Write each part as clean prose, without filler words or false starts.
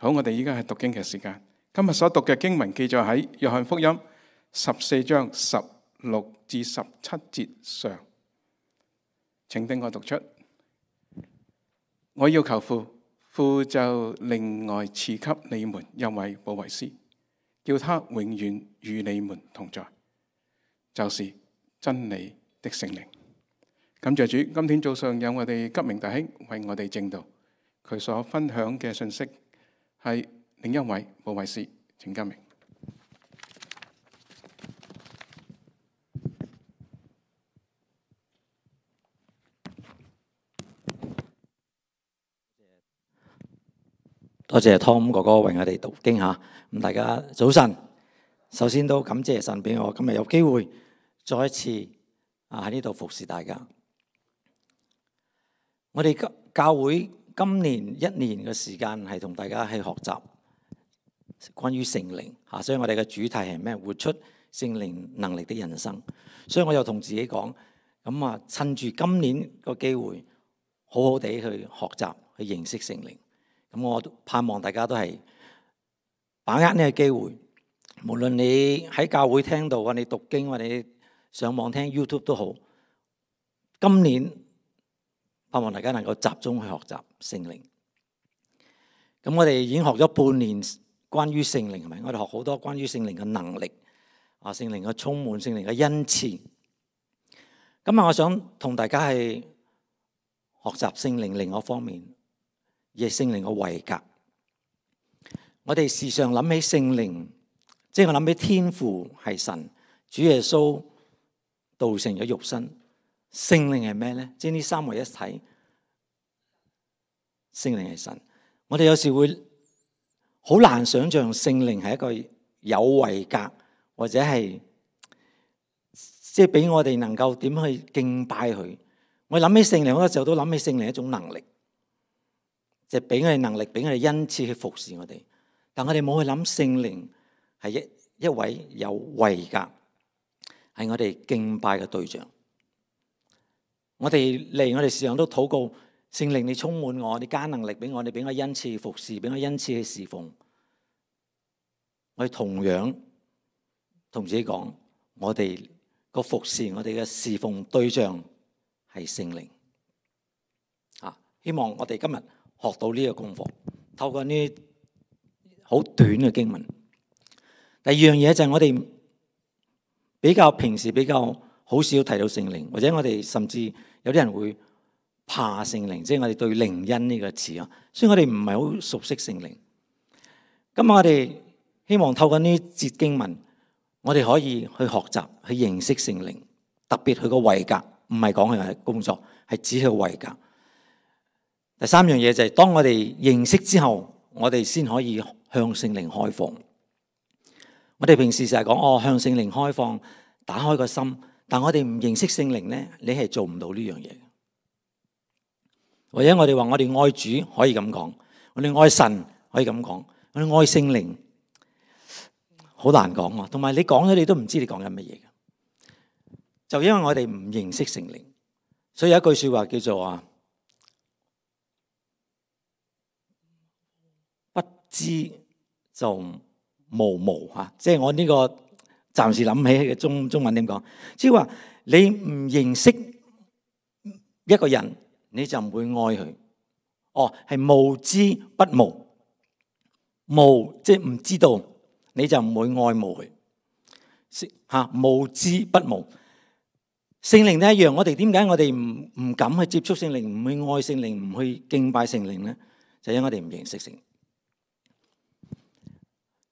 好，我哋依家係讀經嘅時間。今日所讀嘅經文記載喺約翰福音14章16至17節上。請聽我讀出。我要求父，父就另外賜給你們一位保惠師，叫他永遠與你們同在，就是真理的聖靈。感謝主，今天早上有我哋吉明弟兄為我哋證道，佢所分享嘅信息係另一位保惠師，請吉明。多謝 Tom 哥哥為我哋讀經吓，咁大家早晨。首先都感謝神俾我今日有機會再一次喺呢度服侍大家。我哋教會今年1年嘅時間係同大家去學習關於聖靈吓，所以我哋嘅主題係咩？活出聖靈能力的人生。所以我又同自己講，咁趁住今年個機會，好好地去學習去認識聖靈。咁我盼望大家都係把握呢個機會，無論你喺教會聽到，或你讀經，或你上網聽 YouTube 都好。今年盼望大家能夠集中去學習聖靈。咁我哋已經學咗半年關於聖靈，係咪？我哋學好多關於聖靈嘅能力，聖靈嘅充滿，聖靈嘅恩賜。今日我想同大家係學習聖靈另一方面，而係聖靈嘅位格。我哋時常諗起聖靈，即係我諗起天父係神，主耶穌道成咗肉身。聖靈係咩咧？即係呢三位一體。聖靈係神。我哋有時會好難想象聖靈係一個有位格，或者係即係俾我哋能夠點去敬拜佢。我諗起聖靈好多時候都諗起聖靈一種能力。就俾我哋能力，俾我哋恩賜去服侍我哋，但我哋冇去諗聖靈係一位有位格，係我哋敬拜嘅對象。我哋時常都禱告，聖靈你充滿我，你加能力俾我，你俾我恩賜去服侍，俾我恩賜去侍奉。我哋同樣同自己講，我哋個服侍，我哋嘅侍奉對象係聖靈。希望我哋今日學到呢個功課，透過呢好短嘅經文。第二樣嘢就係我哋平時比較好少提到聖靈，或者我哋甚至有啲人會怕聖靈，即係我哋對靈恩呢個詞啊，所以我哋唔係好熟悉聖靈。今日我哋希望透過呢節經文，我哋可以去學習去認識聖靈，特別佢個位格，唔係講佢嘅工作，係指佢個位格。第三樣嘢就係當我哋認識之後，我哋先可以向聖靈開放。我哋平時成日講向聖靈開放，打開個心，但我哋唔認識聖靈咧，你係做唔到呢樣嘢。或者我哋話我哋愛主可以咁講，我哋愛神可以咁講，我哋愛聖靈好難講啊。同埋你講咗，你都唔知你講緊乜嘢嘅。就因為我哋唔認識聖靈，所以有一句說話叫做不知就無無嚇，即係我呢個暫時諗起嘅中文點講？即係話你唔認識一個人，你就唔會愛佢。係無知不無，無即係唔知道，你就唔會愛慕佢。無知不無。聖靈都一樣，我哋點解我哋唔敢去接觸聖靈，唔去愛聖靈，唔去敬拜聖靈咧？就因為我哋唔認識聖靈。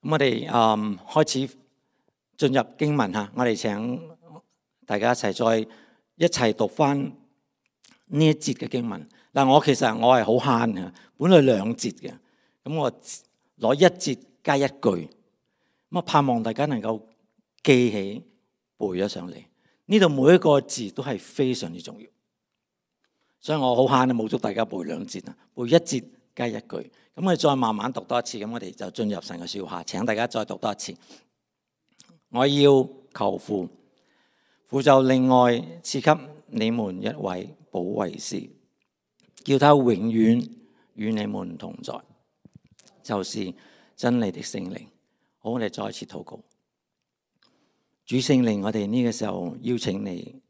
咁我哋開始進入經文嚇，我哋請大家一齊讀翻呢一節嘅經文。嗱，我係好慳嘅，本來2節嘅，咁我攞1節加1句，咁盼望大家能夠記起背咗上嚟。呢度每一個字都係非常之重要，所以我好慳，冇祝大家背2節啊，背1節加1句。咁我哋再慢慢讀多一次，咁我哋就進入神嘅說話。請大家再讀多一次。我要求父，父就另外賜給你們一位保惠師，叫他永遠與你們同在，就是真理的聖靈。好，我哋再一次禱告。主聖靈，我哋呢個時候邀請你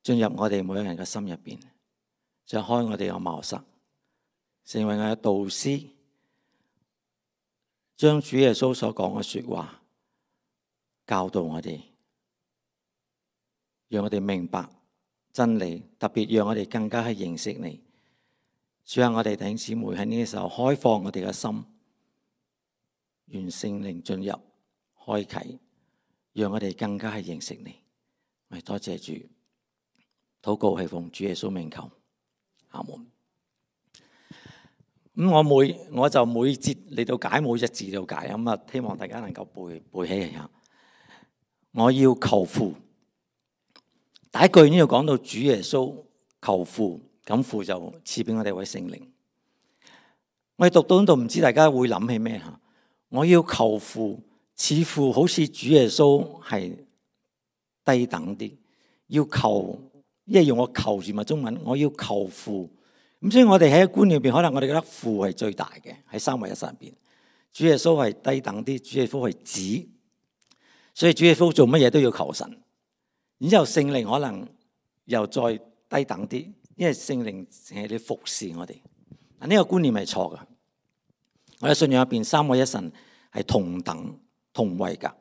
進入我哋每個人嘅心入邊，就開我哋嘅茅塞，成為我嘅導師，將主耶穌所講嘅說話教導我哋，讓我哋明白真理，特別讓我哋更加去認識你。主啊，我哋弟兄姊妹喺呢個時候開放我哋嘅心，願聖靈進入開啟，讓我哋更加去認識你。我哋多謝主，禱告係奉主耶穌名求，阿門。我就每節嚟到解，每隻字嚟到解，咁啊，希望大家能夠背起嚟下。我要求父，第一句呢度講到主耶穌求父，咁父就賜俾我哋位聖靈。我哋讀到呢度，唔知大家會諗起咩吓？我要求父，似乎好似主耶穌係低等啲，要求，因為用我求字咪中文，我要求父。咁所以我哋喺觀念入邊，可能我哋覺得父係最大嘅，喺三位一神入邊，主耶穌係低等啲，主耶穌係子，所以主耶穌做乜嘢都要求神。然之後聖靈可能又再低等啲，因為聖靈係你服侍我哋。呢個觀念係錯嘅。我哋信仰入邊三位一神係同等同位格。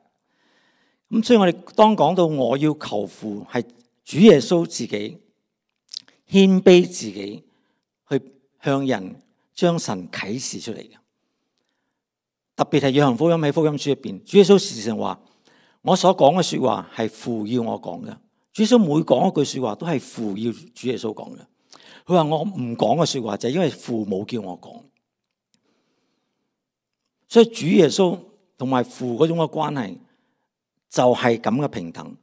咁所以我哋當講到我要求父，係主耶穌自己謙卑自己，去向人將神啟示出嚟嘅。特別係約翰福音喺福音書入邊，主耶穌時常話：我所講嘅說話係父要我講嘅。主耶穌每講一句說話都係父要主耶穌講嘅。佢話我唔講嘅說話就係因為父冇叫我講。所以主耶穌同埋父嗰種嘅關係就係咁嘅平等。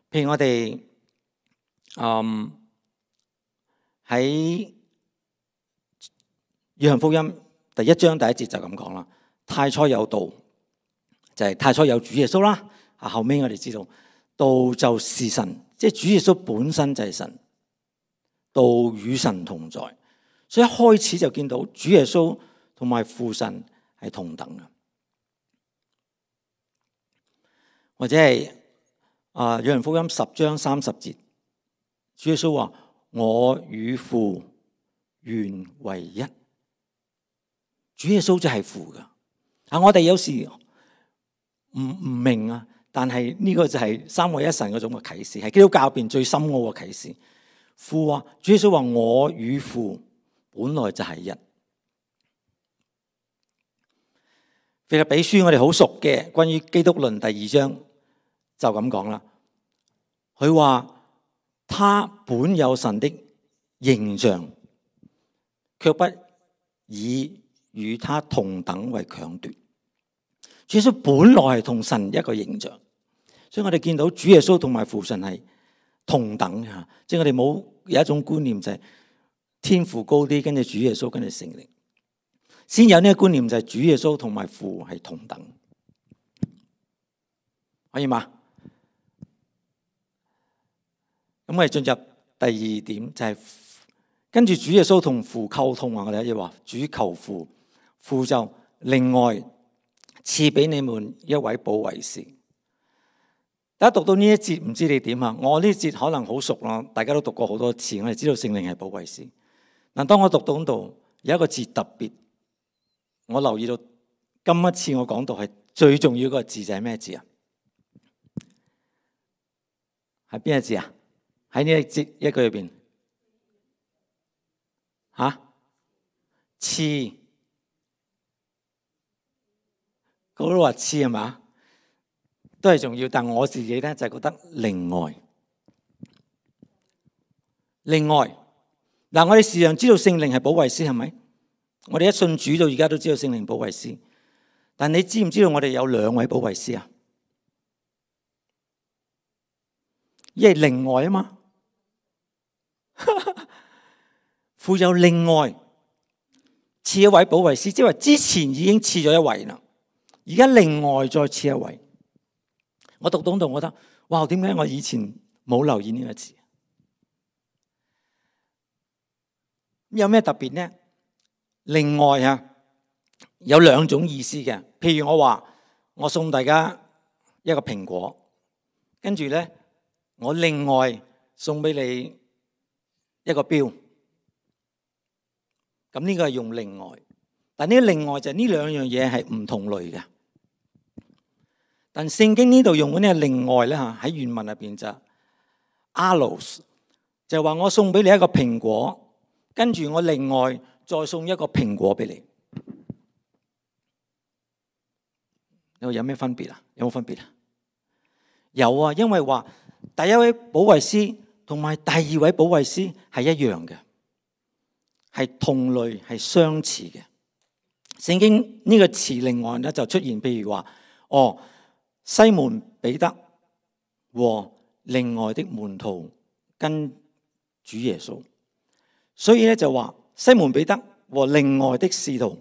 譬如我哋喺約翰福音第一章第一節就咁講啦。太初有道，就係太初有主耶穌啦。後尾我哋知道道就是神，即係主耶穌本身就係神，道與神同在。所以一開始就見到主耶穌同埋父神係同等嘅。或者係約翰福音10章30節，主耶穌話：我與父原為一。主耶穌就係父噶。我哋有時唔明啊，但係呢個就係三位一神嗰種嘅啟示，係基督教入邊最深奧嘅啟示。父話，主耶穌話：我與父本來就係一。腓立比書我哋好熟嘅，關於基督論第2章就咁講啦。佢話他本有神的形象，卻不以與他同等為強奪。主耶穌本來係同神一個形象，所以我哋見到主耶穌同埋父神係同等嘅。即係我哋冇有一種觀念就係天父高啲，跟住主耶穌，跟住聖靈。先有呢個觀念就係主耶穌同埋父係同等，可以嗎？咁我哋進入第二點，就係跟住主耶穌同父溝通啊！我哋一話主求父，父就另外賜俾你們一位保惠師。大家讀到呢一節，唔知你點啊？我呢節可能好熟啦，大家都讀過好多次，我哋知道聖靈係保惠師。嗱，當我讀到呢度有一個字特別，我留意到今一次我講到係最重要嗰個字就係咩字啊？係邊個字啊？喺呢一節一句入邊，賜，嗰度話賜係嘛？都係重要，但我自己咧就覺得另外。嗱，我哋時常知道聖靈係保惠師，係咪？我哋一信主到而家都知道聖靈保惠師，但你知唔知道我哋有2位保惠師啊？因為另外啊嘛，父有另外賜一位保惠師，即係話之前已經賜咗一位啦，而家另外再賜一位。我讀到度，我覺得哇，點解我以前冇留意呢個字？有咩特別呢？另外有兩種意思嘅。譬如我話我送大家一個蘋果，跟住咧我另外送俾你一個錶，咁呢個係用另外。但呢另外就係呢兩樣嘢係唔同類嘅。但聖經呢度用嘅呢另外咧嚇，喺原文入邊就 allos， 就係話我送俾你一個蘋果，跟住我另外再送一個蘋果俾你。有咩分別啊？有冇分別啊？有啊，因為話第一位保惠師同埋第二位保惠師係一樣嘅，係同類，係相似嘅。聖經呢個詞另外咧就出現，譬如話西門彼得和另外的門徒跟主耶穌，所以咧就話西門彼得和另外的使徒，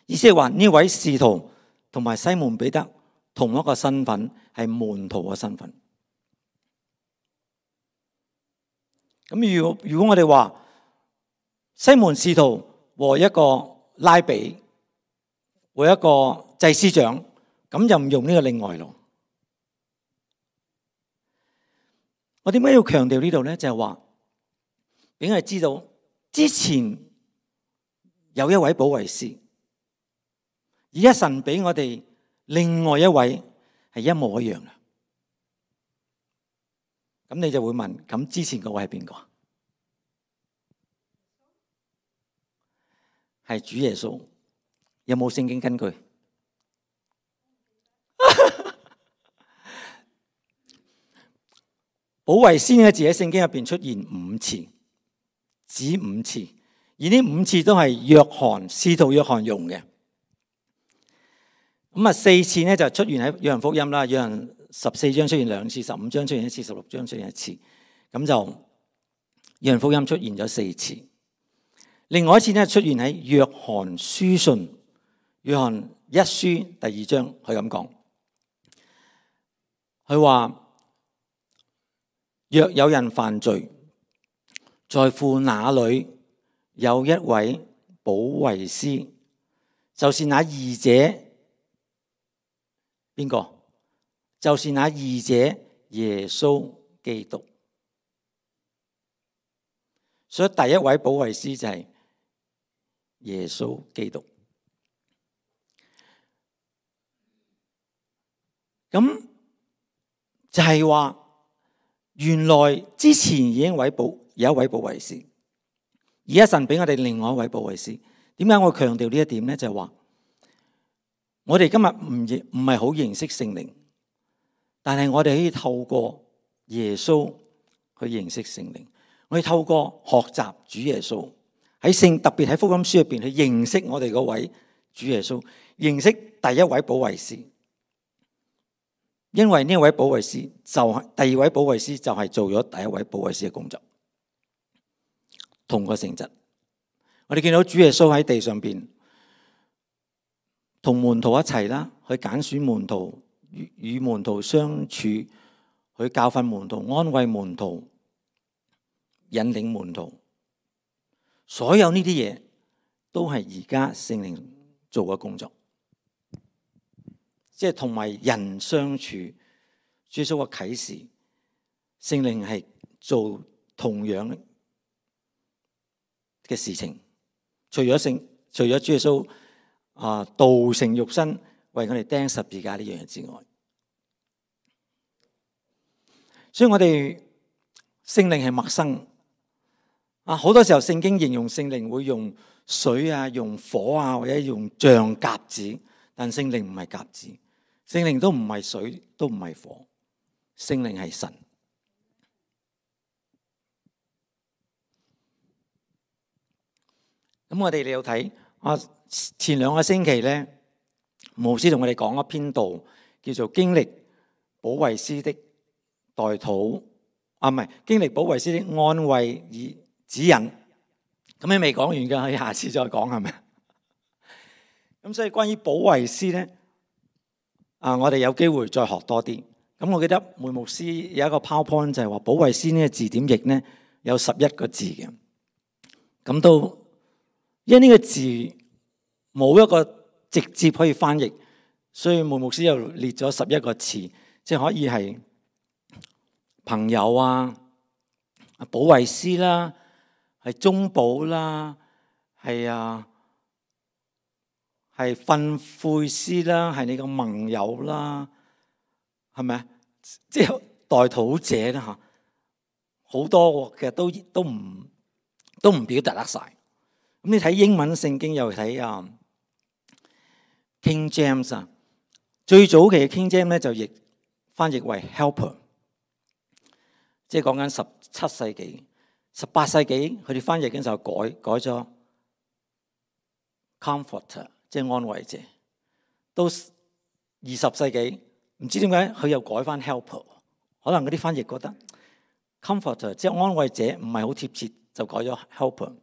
意思係話呢位使徒同埋西門彼得同一個身份，係門徒嘅身份。咁如果我哋話西門使徒和一個拉比和一個祭司長，咁就唔用呢個另外咯。我點解要強調呢度咧？就係話俾我哋知道之前有一位保惠師，而家神俾我哋另外一位係一模一樣嘅。咁你就會問：咁之前嗰位係邊個？係主耶穌。有冇聖經根據？保惠師呢個字喺聖經入邊出現5次，只5次，而呢5次都係使徒約翰用嘅。咁4次呢就出現喺約翰福音啦，約翰14章出現2次，15章出現1次，16章出現1次，咁就約翰福音出現咗4次。另外一次呢出現喺約翰書信，約翰1書第2章，佢咁講，佢話：若有人犯罪，在父那裏有一位保惠師，就是那義者。邊個？就是那義者耶穌基督。所以第一位保惠師就係耶穌基督。咁就係話，原來之前已經有一位保惠師，而家神俾我哋另外一位保惠師。點解我強調呢一點呢？就係話，我哋今日唔係好認識聖靈，但係我哋可以透過耶穌去認識聖靈。我哋透過學習主耶穌，特別喺福音書入邊去認識我哋嗰位主耶穌，認識第一位保惠師。因為呢位保惠師第二位保惠師就係做咗第一位保惠師嘅工作，同個性質。我哋見到主耶穌喺地上邊同門徒一齊啦，去揀選門徒，與門徒相處，去教訓門徒，安慰門徒，引領門徒。所有呢啲嘢都係而家聖靈做嘅工作。即係同埋人相處，主耶穌嘅啟示，聖靈係做同樣嘅事情。除咗主耶穌道成肉身為我哋釘十字架呢樣嘢之外，所以我哋聖靈係陌生。好多時候聖經形容聖靈會用水啊、用火啊，或者用像鴿子，但聖靈唔係鴿子。聖靈都唔係水，都唔係火，聖靈係神。咁我哋嚟到睇前2個星期咧，牧師同我哋講一篇道，叫做經歷保惠師的代禱，唔係經歷保惠師的安慰與指引。咁你未講完㗎，可以下次再講，係咪？咁所以關於保惠師咧，我哋有機會再學多啲。咁我記得梅牧師有一個 PowerPoint 就係話保惠師呢個字典譯咧有11個字嘅。咁都因為呢個字唔冇一個直接可以翻譯，所以牧師又列咗11個詞，即係可以係朋友啊、保惠師啦、係中保啦、係訓誨師啦、係你個盟友啦，係咪啊？即係代禱者啦嚇，好多嘅都唔表達得晒。咁你睇英文聖經又睇King James 啊，最早期嘅 King James 咧就翻譯為 helper， 即係講緊17世紀、18世紀佢哋翻譯嘅時候改咗 comforter， 即係安慰者。到20世紀唔知點解佢又改翻 helper， 可能嗰啲翻譯覺得 comforter 即係安慰者唔係好貼切，就改咗 helper。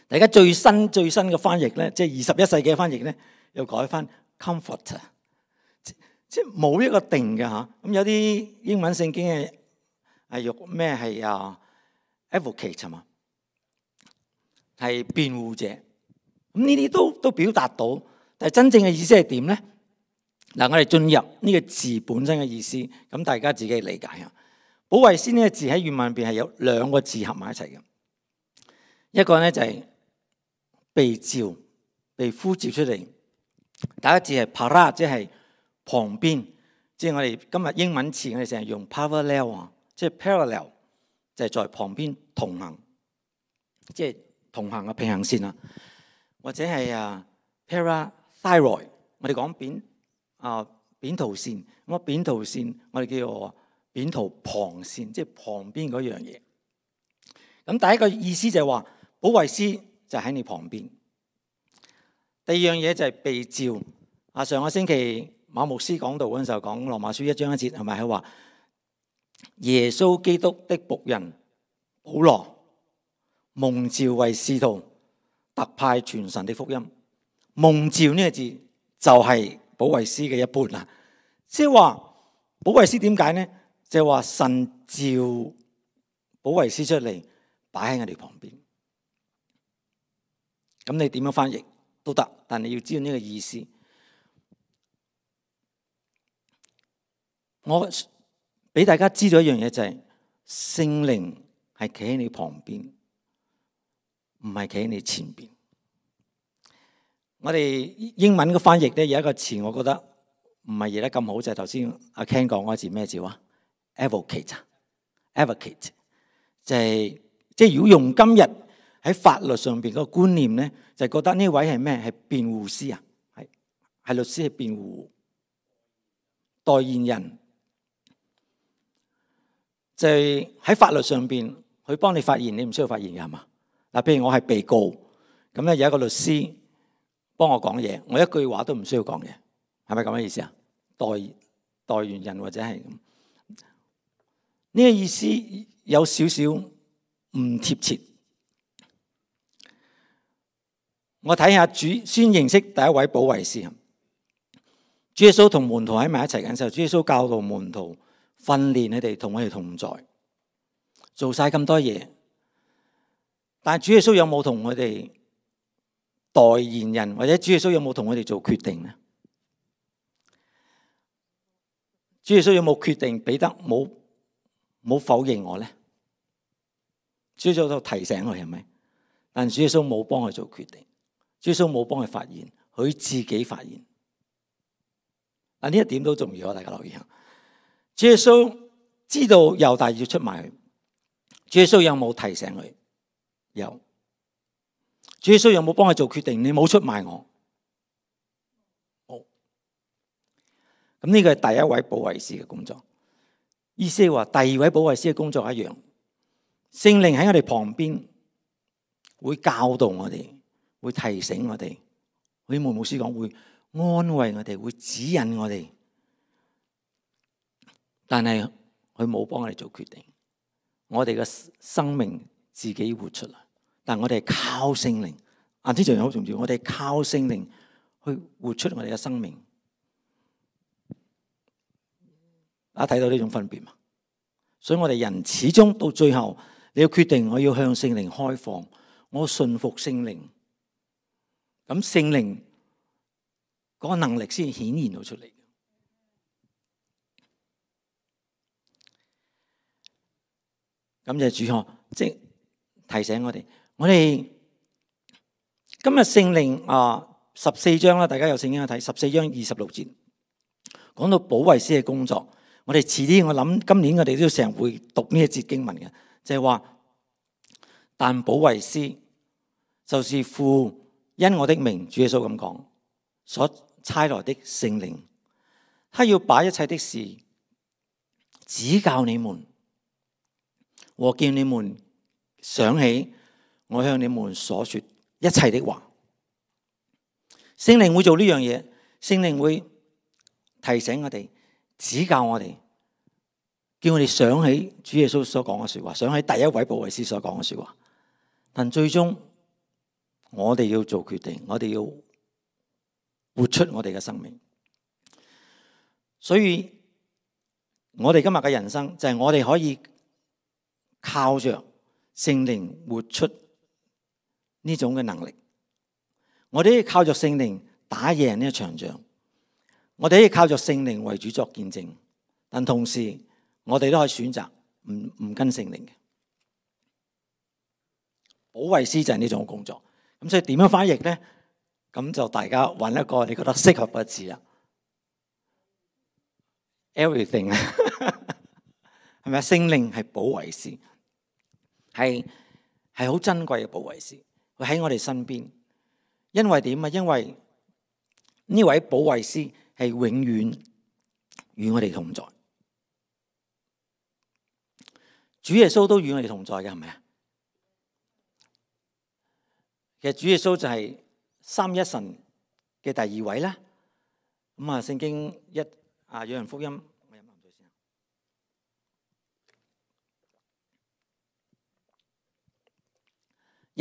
大家最新嘅翻譯咧，即係21世紀嘅翻譯咧，又改翻 comforter， 即係冇一個定嘅嚇。咁有啲英文聖經係用咩係advocate 係嘛，係辯護者。咁呢啲都表達到，但係真正嘅意思係點咧？嗱，我哋進入呢個字本身嘅意思，咁大家自己理解下。保惠師呢個字喺原文入邊係有2個字合埋一齊嘅，一個咧就係被召、被呼召出嚟。第一個字係 para， 即係旁邊，即係我哋今日英文詞我哋成日用 parallel 啊，即係 parallel， 就係在旁邊同行，即係同行嘅平行線啊，或者係parathyroid， 我哋講扁桃腺，咁扁桃腺我哋叫做扁桃旁線，即係旁邊嗰樣嘢。咁第一個意思就係話保惠師就喺你旁邊。第二樣嘢就係被召。上個星期馬牧師講道嗰陣時候講羅馬書1章1節，係咪佢話耶穌基督的僕人保羅蒙召為使徒，特派傳神的福音。蒙召呢個字就係保惠師嘅一半啦。即係話保惠師點解呢？就係話神召保惠師出嚟擺喺我哋旁邊。咁你點樣翻譯都得，但你要知道呢個意思。我俾大家知道一樣嘢，就係聖靈係企喺你旁邊，唔係企喺你前邊。我哋英文嘅翻譯咧有一個詞，我覺得唔係譯得咁好，就係頭先阿 Ken 講嗰個字咩字啊 ？advocate， 就係即係如果用今日喺法律上邊嗰個觀念咧，就係覺得呢位係咩？係辯護師啊，係律師，係辯護代言人。就係喺法律上邊，佢幫你發言，你唔需要發言嘅係嘛？嗱，譬如我係被告，咁咧有一個律師幫我講嘢，我一句話都唔需要講嘢，係咪咁嘅意思啊？代言人或者係咁，呢個意思有少少唔貼切。我睇下先認識第一位保惠師。主耶穌同門徒喺埋一齊嘅時候，主耶穌教導門徒，訓練你哋同我哋同在，做晒咁多嘢，但係主耶穌有冇同我哋代言人，或者主耶穌有冇同我哋做決定呢？主耶穌有冇決定彼得冇否認我呢？主耶穌都提醒佢係咪？但主耶穌冇幫佢做決定，主耶穌冇幫佢發言，佢自己發言。呢一點都重要，大家留意下。主耶穌知道猶大要出賣佢，主耶穌有冇提醒佢？有。主耶穌有冇幫佢做決定？你冇出賣我。好。咁呢個係第一位保惠師嘅工作。意思係話第二位保惠師嘅工作一樣，聖靈喺我哋旁邊會教導我哋，會提醒我哋。好似牧師講，會安慰我哋，會指引我哋。但係佢冇幫我哋做決定，我哋嘅生命自己活出嚟。但我哋係靠聖靈，呢樣嘢好重要。我哋係靠聖靈去活出我哋嘅生命。大家睇到呢種分別嘛？所以我哋人始終到最後，你要決定我要向聖靈開放，我信服聖靈。咁聖靈嗰個能力先顯現到出嚟。感謝主呵，即係提醒我哋今日聖靈14章啦，大家有聖經去睇14章26節，講到保惠師嘅工作。我哋遲啲我諗今年我哋都成日會讀呢一節經文嘅，就係話，但保惠師就是父因我的名，主耶穌咁講，所差來的聖靈，他要把一切的事指教你們，和叫你們想起我向你們所說一切的話。聖靈會做呢樣嘢，聖靈會提醒我哋，指教我哋，叫我哋想起主耶穌所講嘅說話，想起第一位保惠師所講嘅說話。但最終我哋要做決定，我哋要活出我哋嘅生命。所以我哋今日嘅人生就係我哋可以靠着聖靈活出呢種嘅能力。我哋可以靠着聖靈打贏呢一場仗，我哋可以靠着聖靈為主作見證，但同時我哋都可以選擇唔跟聖靈嘅。保惠師就係呢種工作。咁所以點樣翻譯咧？咁就大家揾一個你覺得適合嘅字啦。Everything 係咪啊？聖靈係保惠師，係好珍貴嘅保惠師，佢喺我哋身邊。因為點啊？因為呢位保惠師係永遠與我哋同在。主耶穌都與我哋同在嘅，係咪啊？其實主耶穌就係三一神嘅第二位啦。咁啊，聖經約翰福音，我飲啖水先。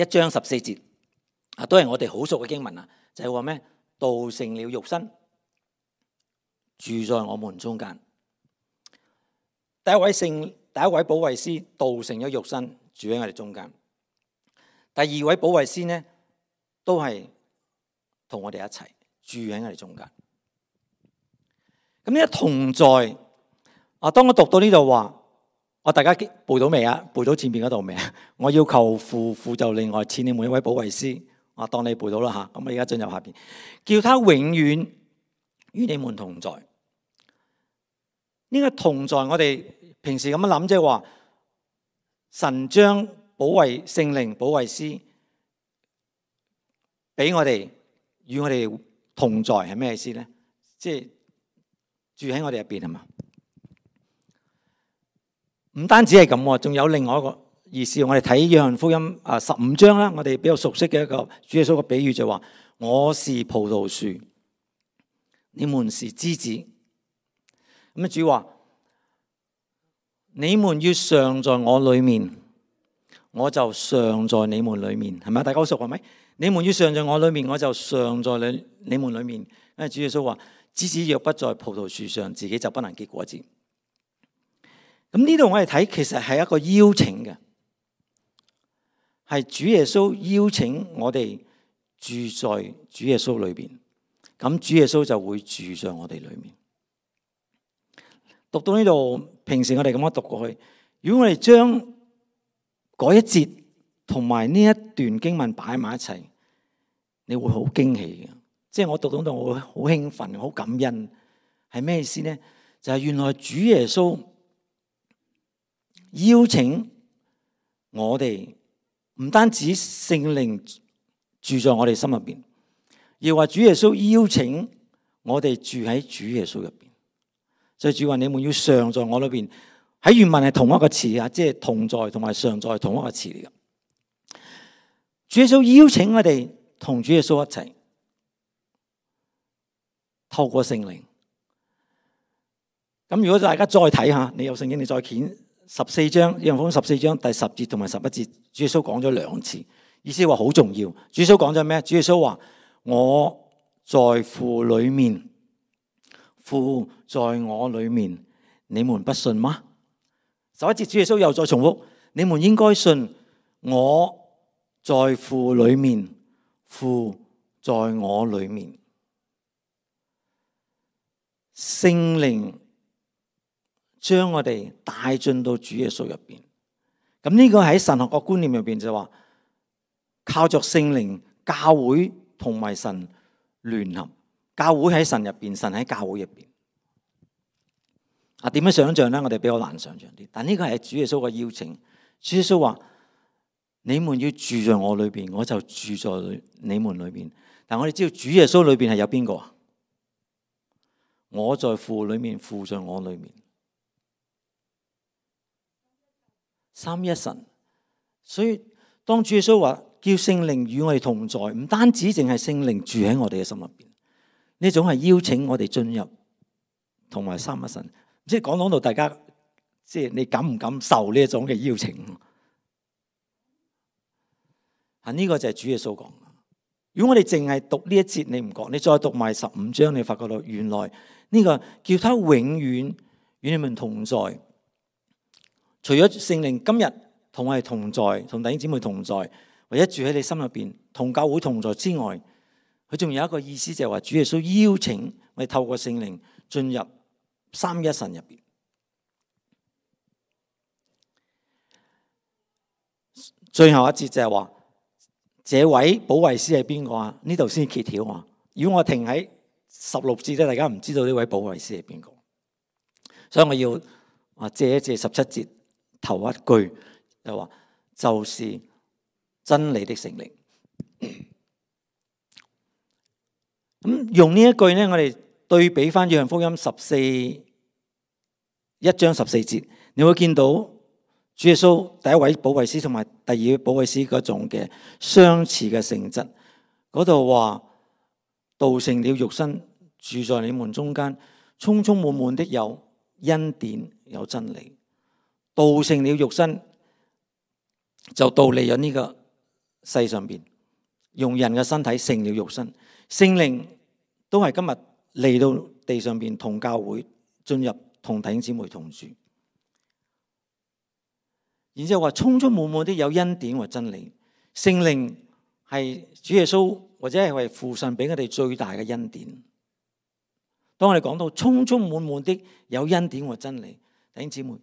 1章14節都係我哋好熟嘅經文啊，就係話咩？道成了肉身，住在我們中間。第一位保惠師道成咗肉身，住喺我哋中間。第二位保惠師呢，都係同我哋一齊住喺我哋中間。咁呢一同在當我讀到呢度話，大家背到未啊？背到前面嗰度未啊？我要求父，父就另外賜你們一位保惠師。當你背到啦吓，咁我而家進入下邊，叫他永遠與你們同在。呢個同在，我哋平時咁樣諗，即係話神將聖靈保惠師俾我哋，與我哋同在係咩意思咧？即係住喺我哋入邊係嘛？唔單止係咁，仲有另外一個意思。我哋睇約翰福音15章啦，我哋比較熟悉嘅一個主耶穌嘅比喻就話：我是葡萄樹，你們是枝子。咁啊，主話：你們要常在我裏面，我就常在你們裏面，係咪？大家好熟係咪？你們要常在我裏面，我就常在你們裏面。因為主耶穌話：枝子若不在葡萄樹上，自己就不能結果子。咁呢度我哋睇，其實係一個邀請嘅，係主耶穌邀請我哋住在主耶穌裏邊，咁主耶穌就會住在我哋裏面。讀到呢度，平時我哋咁樣讀過去，如果我哋將嗰一節同埋呢一段經文擺埋一齊，你會好驚喜嘅。即係我讀到度，我會好興奮、好感恩。係咩意思呢？就係原來主耶穌邀請我哋，唔單止聖靈住在我哋心入邊，而話主耶穌邀請我哋住喺主耶穌入邊。所以主話：你們要常在我裏邊。喺原文係同一個詞啊，即係同在同埋常在同一個詞嚟嘅。主耶穌邀請我哋同主耶穌一齊，透過聖靈。咁如果大家再睇下，你有聖經，你再揀14章，約翰福音14章第10節同埋11節，主耶穌講咗2次，意思話好重要。主耶穌講咗咩？主耶穌話：我在父裏面，父在我裏面，你們不信嗎？11節主耶穌又再重複：你們應該信，我在父裏面，父在我裏面。聖靈將我哋帶進到主耶穌入邊。咁呢個喺神學個觀念入邊就話，靠着聖靈，教會同埋神聯合。教會喺神入邊，神喺教會入邊。點樣想象呢？我哋比較難想象啲。但呢個係主耶穌嘅邀請。主耶穌話：你們要住在我裏邊，我就住在你們裏邊。但我哋知道主耶穌裏邊係有邊個啊？我在父裏面，父在我裏面，三一神。所以當主耶穌話叫聖靈與我哋同在，唔單止淨係聖靈住喺我哋嘅心入邊，呢種係邀請我哋進入同埋三一神。即係講到大家，即係你感唔感受呢一種嘅邀請？呢個就係主耶穌講。如果我哋淨係讀呢一節，你唔覺，你再讀埋15章，你發覺到原來呢個叫他永遠與你們同在。除咗聖靈今日同我哋同在，同弟兄姊妹同在，或者住喺你心入邊，同教會同在之外，佢仲有一個意思，就係話主耶穌邀請我哋透過聖靈進入三一神入邊。最後一節就係話，這位保惠師係邊個啊？呢度先揭曉啊！如果我停喺16節咧，大家唔知道呢位保惠師係邊個，所以我要借一借17節頭一句，就話就是真理的聖靈。咁用呢一句咧，我哋對比翻約翰福音1章14節，你會見到主耶穌第一位保惠師同埋第二位保惠師嗰種嘅相似嘅性質。嗰度話道成了肉身，住在你們中間，充充滿滿的有恩典有真理。道成了肉身就道嚟咗呢個世上邊，用人嘅身體成了肉身。聖靈都係今日嚟到地上邊，同教會進入，同弟兄姊妹同住。然之後話充充滿滿的有恩典和真理。聖靈係主耶穌或者係為父神俾我哋最大嘅恩典。當我哋講到充充滿滿的有恩典和真理，弟兄姊妹，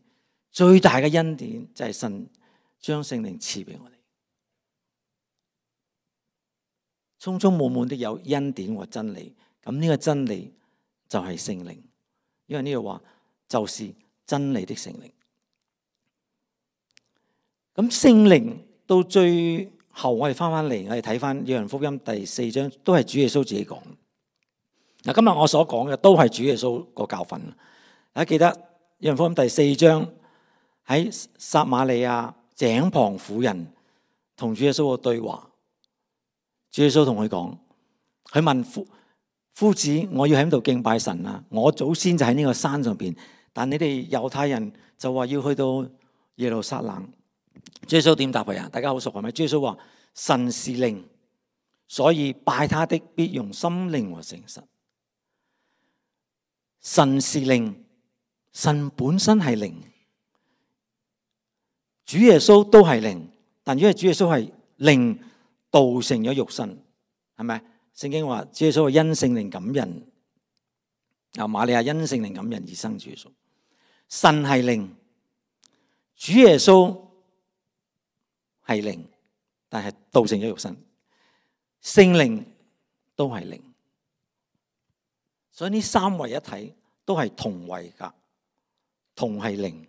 最大嘅恩典就係神將聖靈賜俾我哋。充充滿滿的有恩典和真理，咁呢個真理就係聖靈，因為呢度話就是真理的聖靈。咁聖靈到最後，我哋翻嚟，我哋睇翻約翰福音第4章，都係主耶穌自己講。嗱，今日我所講嘅都係主耶穌個教訓。大家記得約翰福音第4章喺撒瑪利亞井旁婦人同主耶穌個對話。主耶穌同佢講，佢問夫子，我要喺度敬拜神啊！我祖先就喺呢個山上邊，但你哋猶太人就話要去到耶路撒冷。主耶穌點答佢啊？大家好熟係咪？主耶穌話：神是靈，所以拜他的必用心靈和誠實。神是靈，神本身係靈，主耶穌都係靈，但因為主耶穌係靈，道成咗肉身，係咪？聖經話主耶穌係因聖靈感人，瑪利亞因聖靈感人而生主耶穌。神係靈，主耶穌係靈，但係道成咗肉身，聖靈都係靈，所以呢三位一體都係同位格，同係靈。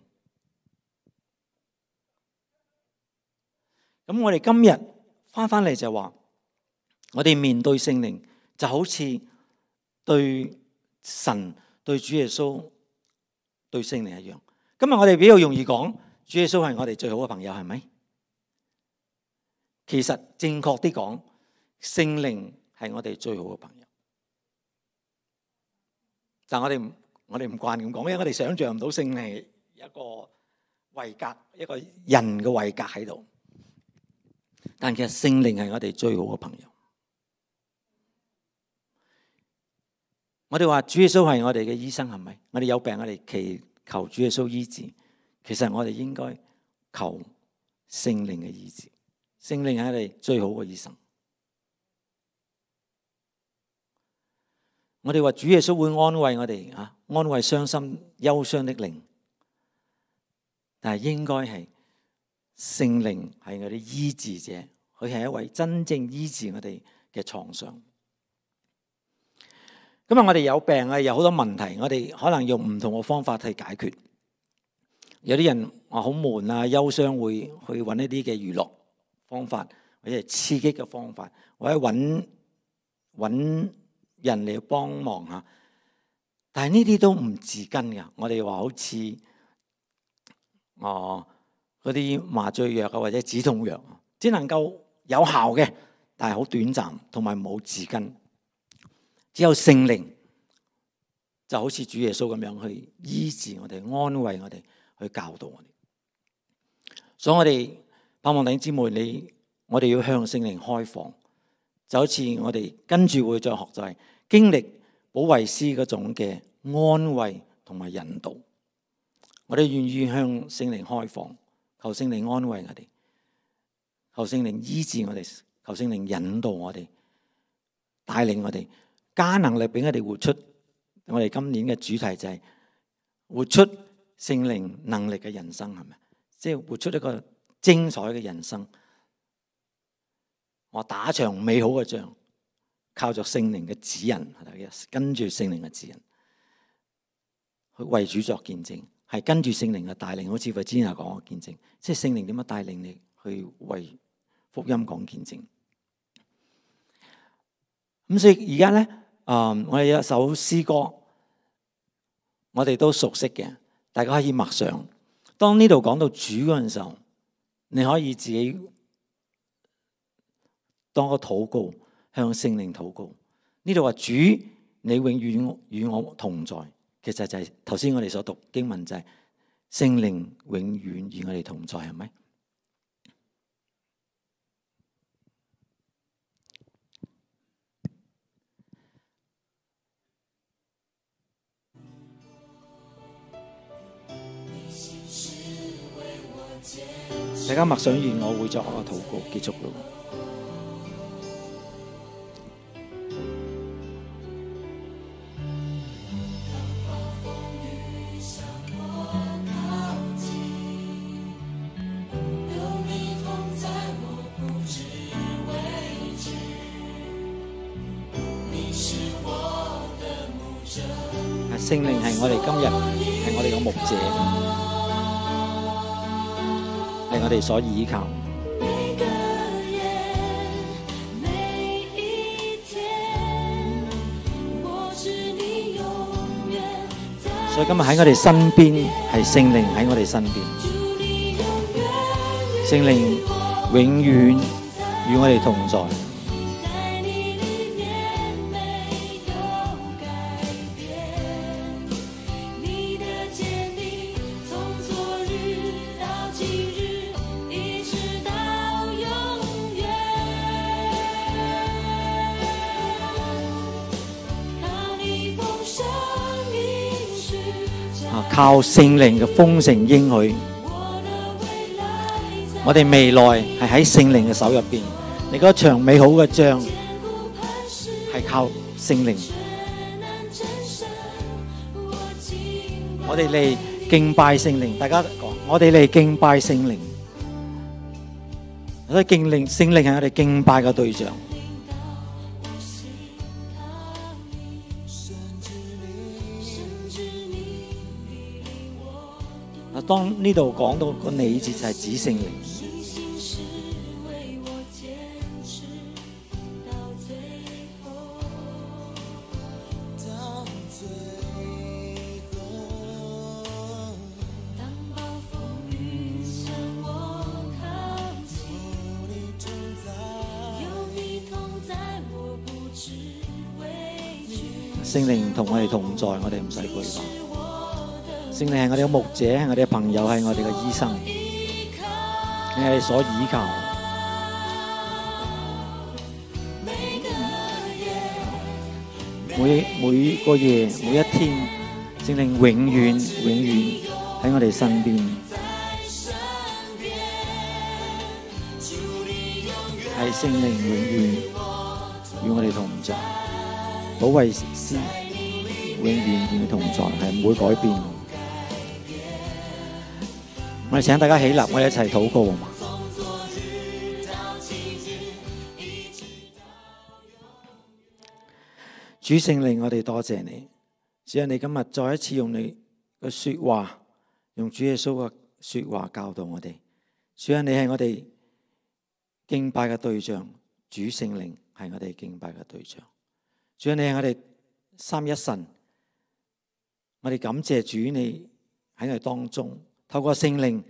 咁我哋今日翻嚟就話，我哋面對聖靈就好似對神、對主耶穌、對聖靈一樣。今日我哋比較容易講，主耶穌係我哋最好嘅朋友，係咪？其實正確啲講，聖靈係我哋最好嘅朋友。但我哋唔慣咁講，因為我哋想象唔到聖靈係一個位格，一個人嘅位格喺度。但其實聖靈係我哋最好嘅朋友。我哋話主耶穌係我哋嘅醫生，係咪？我哋有病，我哋祈求主耶穌醫治。其實我哋應該求聖靈嘅醫治。聖靈係我哋最好嘅醫生。我哋話主耶穌會安慰我哋啊，安慰傷心憂傷的靈，但係應該係聖靈係我哋醫治者，佢係一位真正醫治我哋嘅創傷。今日我哋有病啊，有好多問題，我哋可能用唔同嘅方法去解決。有啲人話好悶啊，憂傷會去揾一啲嘅娛樂方法，或者係刺激嘅方法，或者揾人嚟幫忙嚇。但係呢啲都唔治根㗎。我哋話好似嗰啲麻醉藥啊，或者止痛藥，只能夠有效嘅，但係好短暫，同埋冇治根。只有聖靈就好似主耶穌咁樣去醫治我哋、安慰我哋、去教導我哋。所以我哋盼望弟兄姊妹，我哋要向聖靈開放，就好似我哋跟住會再學，就係經歷保惠師嗰種嘅安慰同埋引導。我哋願意向聖靈開放，求聖靈安慰我哋，求聖靈醫治我哋，求聖靈引導我哋，帶領我哋，加能力俾我哋活出。我哋今年嘅主題就係活出聖靈能力嘅人生，係咪？即係活出一個精彩嘅人生。我打場美好嘅仗，靠着聖靈嘅指引，跟住聖靈嘅指引去為主作見證，係跟住聖靈嘅帶領。好似之前講嘅見證，即係聖靈點樣帶領你去為福音講見證。咁所以而家咧，我哋有一首詩歌，我哋都熟悉嘅，大家可以默想。當呢度講到主嗰陣時候，你可以自己當個禱告，向聖靈禱告。呢度話主，你永遠與我同在，其實就係頭先我哋所讀經文，就係聖靈永遠與我哋同在，係咪？大家默想完，我會作一個禱告結束咯。聖靈係我哋今日係我哋嘅牧者，係我哋所依靠。所以今日喺我哋身邊，係聖靈喺我哋身邊，聖靈永遠與我哋同在。靠聖靈嘅豐盛應許，我哋未來係喺聖靈嘅手入邊。你嗰場美好嘅仗係靠聖靈。我哋嚟敬拜聖靈，大家講，我哋嚟敬拜聖靈。所以聖靈係我哋敬拜嘅對象。當呢度講到個你字就係指聖靈，聖靈同我哋同在，我哋唔使懼怕。聖靈係我哋嘅牧者，係我哋嘅朋友，係我哋嘅醫生，係我哋所依靠。每個夜，每一天，聖靈永遠喺我哋身邊，係聖靈永遠與我哋同在。保惠師永遠與你同在，係唔會改變。我哋請大家起立，我哋一齊禱告。主聖靈，我哋多謝你，只係你今日再一次用你嘅說話，用主耶穌嘅說話教導我哋。主啊，你係我哋敬拜嘅對象，主聖靈係我哋敬拜嘅對象。主啊，你係我哋三一神，我哋感謝主你喺我哋當中，透過聖靈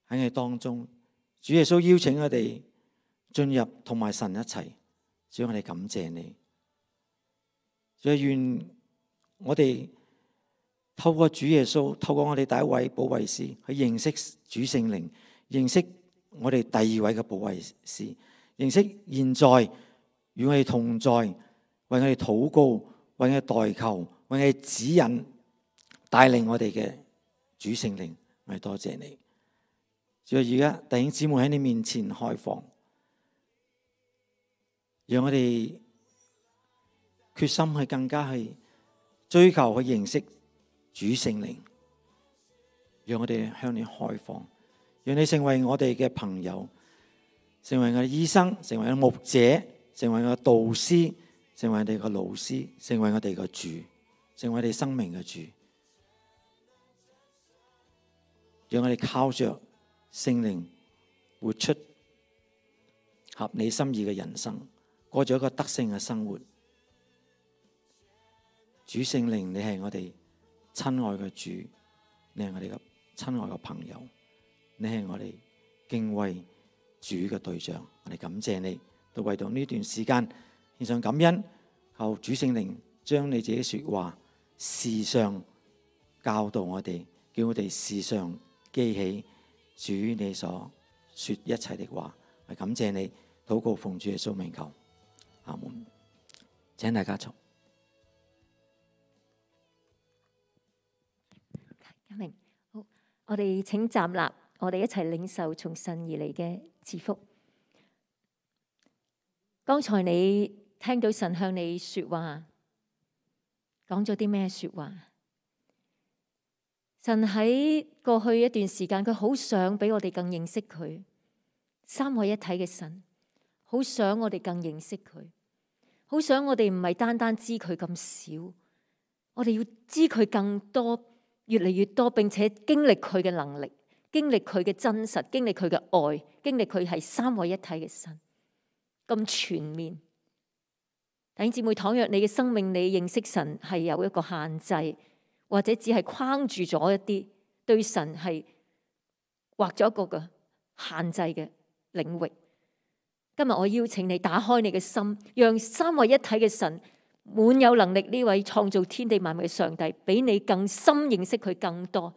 喺我哋當中，主耶穌邀請我哋進入同埋神一齊。主，我哋感謝你。主啊，願我哋透過主耶穌，透過我哋第一位保惠師去認識主聖靈，認識我哋第二位嘅保惠師，認識現在與我哋同在，為我哋禱告，為我哋代求，為我哋指引帶領我哋嘅主聖靈。我哋多謝你。主啊，而家弟兄姊妹喺你面前開放，讓我哋決心去更加去追求去認識主聖靈，讓我哋向你開放，讓你成為我哋嘅朋友，成為我哋醫生，成為我哋牧者，成為我哋導師，成為我哋嘅老師，成為我哋嘅主，成為我哋生命嘅主。讓我哋靠着聖靈活出合你心意嘅人生，過咗一個得勝嘅生活。主聖靈，你係我哋親愛嘅主，你係我哋嘅親愛嘅朋友，你係我哋敬畏主嘅對象。我哋感謝你，都為到呢段時間獻上感恩，求主聖靈將你自己說話時常教導我哋，叫我哋時常記起主你所說一切的話。我感謝你，禱告奉主耶穌名求，阿門。請大家坐。好，我哋請站立，我哋一齊領受從神而嚟嘅賜福。剛才你聽到神向你說話，講咗啲咩說話？神喺過去一段時間，佢好想俾我哋更認識佢，三位一體嘅神，好想我哋更認識佢，好想我哋唔係單單知佢咁少，我哋要知佢更多。越嚟越多，並且經歷佢嘅能力，經歷佢嘅真實，經歷佢嘅愛，經歷佢係三位一體嘅神，咁全面。弟兄姊妹，倘若你嘅生命，你認識神係有一個限制，或者只係框住咗一啲，對神係畫咗一個嘅限制嘅領域。今日我邀請你打開你嘅心，讓三位一體嘅神，滿有能力呢位創造天地萬物嘅上帝，比你更深認識佢更多，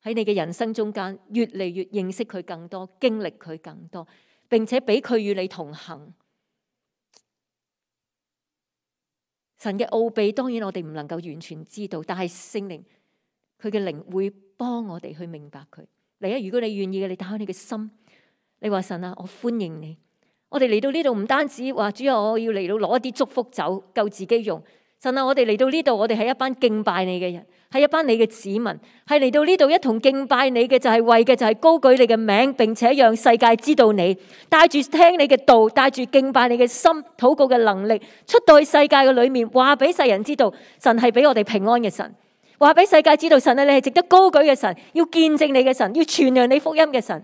喺你嘅人生中間越嚟越認識佢更多，經歷佢更多，並且俾佢與你同行。神嘅奧秘當然我哋唔能夠完全知道，但係聖靈佢嘅靈會幫我哋去明白佢。嚟啊！如果你願意嘅，你打開你嘅心，你話神啊，我歡迎你。我哋嚟到呢度唔單止話主啊，我要嚟到攞一啲祝福走夠自己用。神啊，我哋嚟到呢度，我哋係一班敬拜你嘅人，係一班你嘅子民，係嚟到呢度一同敬拜你嘅，就係為嘅就係高舉你嘅名，並且讓世界知道你，帶住聽你嘅道，帶住敬拜你嘅心，禱告嘅能力，出到去世界嘅裏面，話俾世人知道神係俾我哋平安嘅神，話俾世界知道神啊，你係值得高舉嘅神，要見證你嘅神，要傳揚你福音嘅神。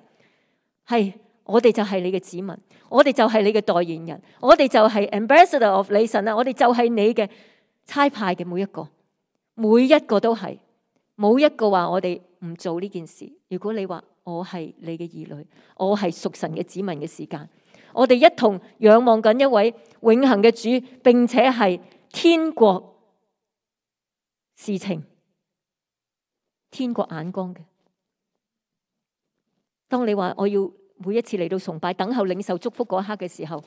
係，我哋就係你嘅子民，我哋就係你嘅代言人，我哋就係 ambassador of 你神啊！我哋就係你嘅差派嘅每一個，每一個都係，冇一個話我哋唔做呢件事。如果你話我係你嘅兒女，我係屬神嘅子民嘅時間，我哋一同仰望緊一位永恆嘅主，並且係天國事情、天國眼光嘅。當你話我要每一次嚟到崇拜，等候領受祝福嗰一刻嘅時候，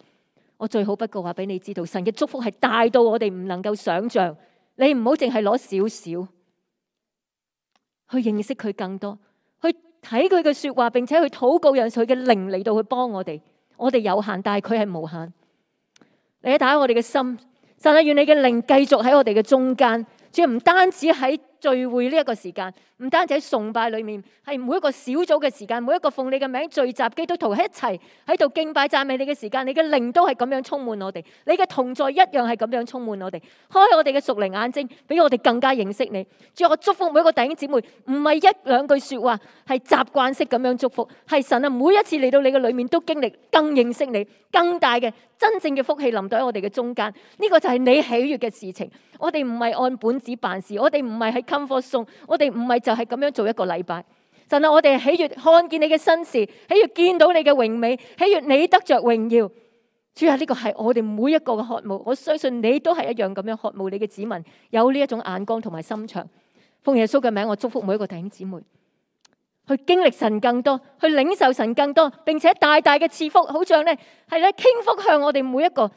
我最好不過話俾你知道，神嘅祝福係大到我哋唔能夠想象。你唔好淨係攞少少，去認識佢更多，去睇佢嘅說話，並且去禱告，讓佢嘅靈嚟到去幫我哋。我哋有限，但係佢係無限。你打開我哋嘅心，神啊，願你嘅靈繼續喺我哋嘅中間，主要唔單止喺聚會呢一個時間，唔單止喺崇拜裏面，係每一個小組嘅時間，每一個奉你嘅名聚集基督徒喺一齊喺度敬拜讚美你嘅時間，你嘅靈都係咁樣充滿我哋，你嘅同在一樣係咁樣充滿我哋，開我哋嘅屬靈眼睛，俾我哋更加認識你。主要我祝福每一個弟兄姊妹，唔係一兩句說話，係習慣式咁樣祝福，係神啊，每一次嚟到你嘅裏面都經歷更認識你，更大嘅真正嘅福氣臨到喺我哋嘅中間。呢個就係你喜悅嘅事情。我哋唔係按本子辦事，我哋唔係喺 comfort zone， 我哋唔係就係咁樣做一個禮拜。神啊，我哋喜悅看見你嘅新事，喜悅見到你嘅榮美，喜悅你得着榮耀。主啊，呢個係我哋每一個嘅渴慕，我相信你都係一樣咁樣渴慕你嘅子民有呢一種眼光同埋心腸。奉耶穌嘅名，我祝福每一個弟兄姊妹去經歷神更多，去領受神更多，並且大大嘅賜福，好像咧係咧傾福向我哋每一個，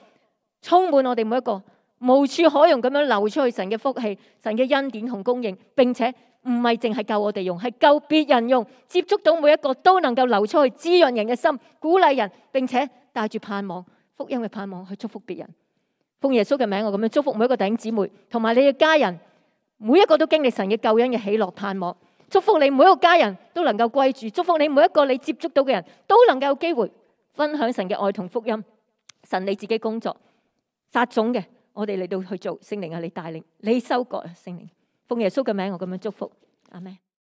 充滿我哋每一個，無處可容咁樣流出去神嘅福氣、神嘅恩典同供應，並且唔係淨係夠我哋用，係夠別人用，接觸到每一個都能夠流出去，滋潤人嘅心，鼓勵人，並且帶住盼望、福音嘅盼望去祝福別人。奉耶穌嘅名，我咁樣祝福每一個弟兄姊妹，同埋你嘅家人，每一個都經歷神嘅救恩嘅喜樂盼望。祝福你每一個家人都能夠歸主，祝福你每一個你接觸到嘅人都能夠有機會分享神嘅愛同福音。神你自己工作撒種嘅，我哋嚟到去做，聖靈啊，你帶領，你收割啊，聖靈。奉耶穌嘅名，我咁樣祝福，阿們。